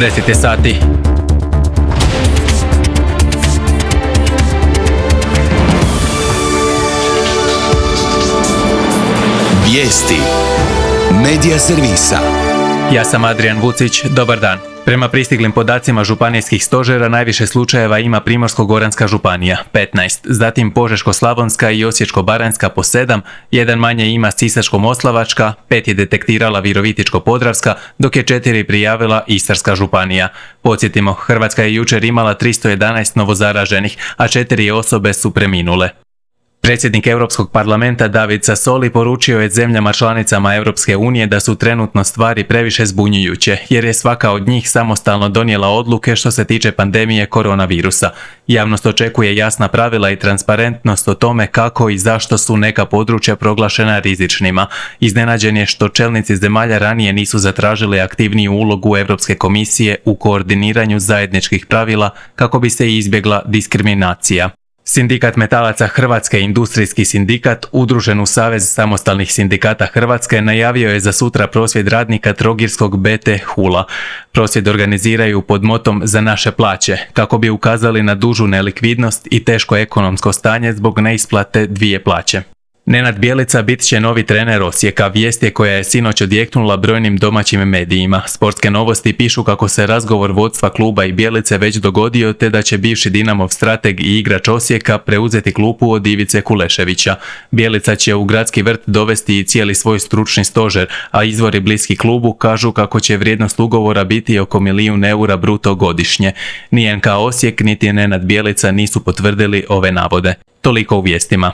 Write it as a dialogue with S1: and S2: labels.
S1: 10 je sati.
S2: Vijesti Medija servisa.
S1: Ja sam Adrian Vucić, dobar dan. Prema pristiglim podacima županijskih stožera najviše slučajeva ima Primorsko-goranska županija, 15, zatim Požeško-slavonska i Osječko-baranjska po 7, jedan manje ima Sisačko-moslavačka, 5 je detektirala Virovitičko-podravska, dok je 4 prijavila Istarska županija. Podsjetimo, Hrvatska je jučer imala 311 novozaraženih, a 4 osobe su preminule. Predsjednik Europskog parlamenta David Sassoli poručio je zemljama članicama Europske unije da su trenutno stvari previše zbunjujuće, jer je svaka od njih samostalno donijela odluke što se tiče pandemije koronavirusa. Javnost očekuje jasna pravila i transparentnost o tome kako i zašto su neka područja proglašena rizičnima. Iznenađen je što čelnici zemalja ranije nisu zatražili aktivniju ulogu Europske komisije u koordiniranju zajedničkih pravila kako bi se izbjegla diskriminacija. Sindikat metalaca Hrvatske, industrijski sindikat, udružen u Savez samostalnih sindikata Hrvatske, najavio je za sutra prosvjed radnika Trogirskog BT Hula. Prosvjed organiziraju pod motom Za naše plaće, kako bi ukazali na dužu nelikvidnost i teško ekonomsko stanje zbog neisplate 2 plaće. Nenad Bjelica bit će novi trener Osijeka, vijest je koja je sinoć odjeknula brojnim domaćim medijima. Sportske novosti pišu kako se razgovor vodstva kluba i Bjelice već dogodio, te da će bivši Dinamov strateg i igrač Osijeka preuzeti klupu od Ivice Kuleševića. Bjelica će u gradski vrt dovesti i cijeli svoj stručni stožer, a izvori bliski klubu kažu kako će vrijednost ugovora biti oko €1 milijun bruto godišnje. Ni NK Osijek niti Nenad Bjelica nisu potvrdili ove navode. Toliko u vijestima.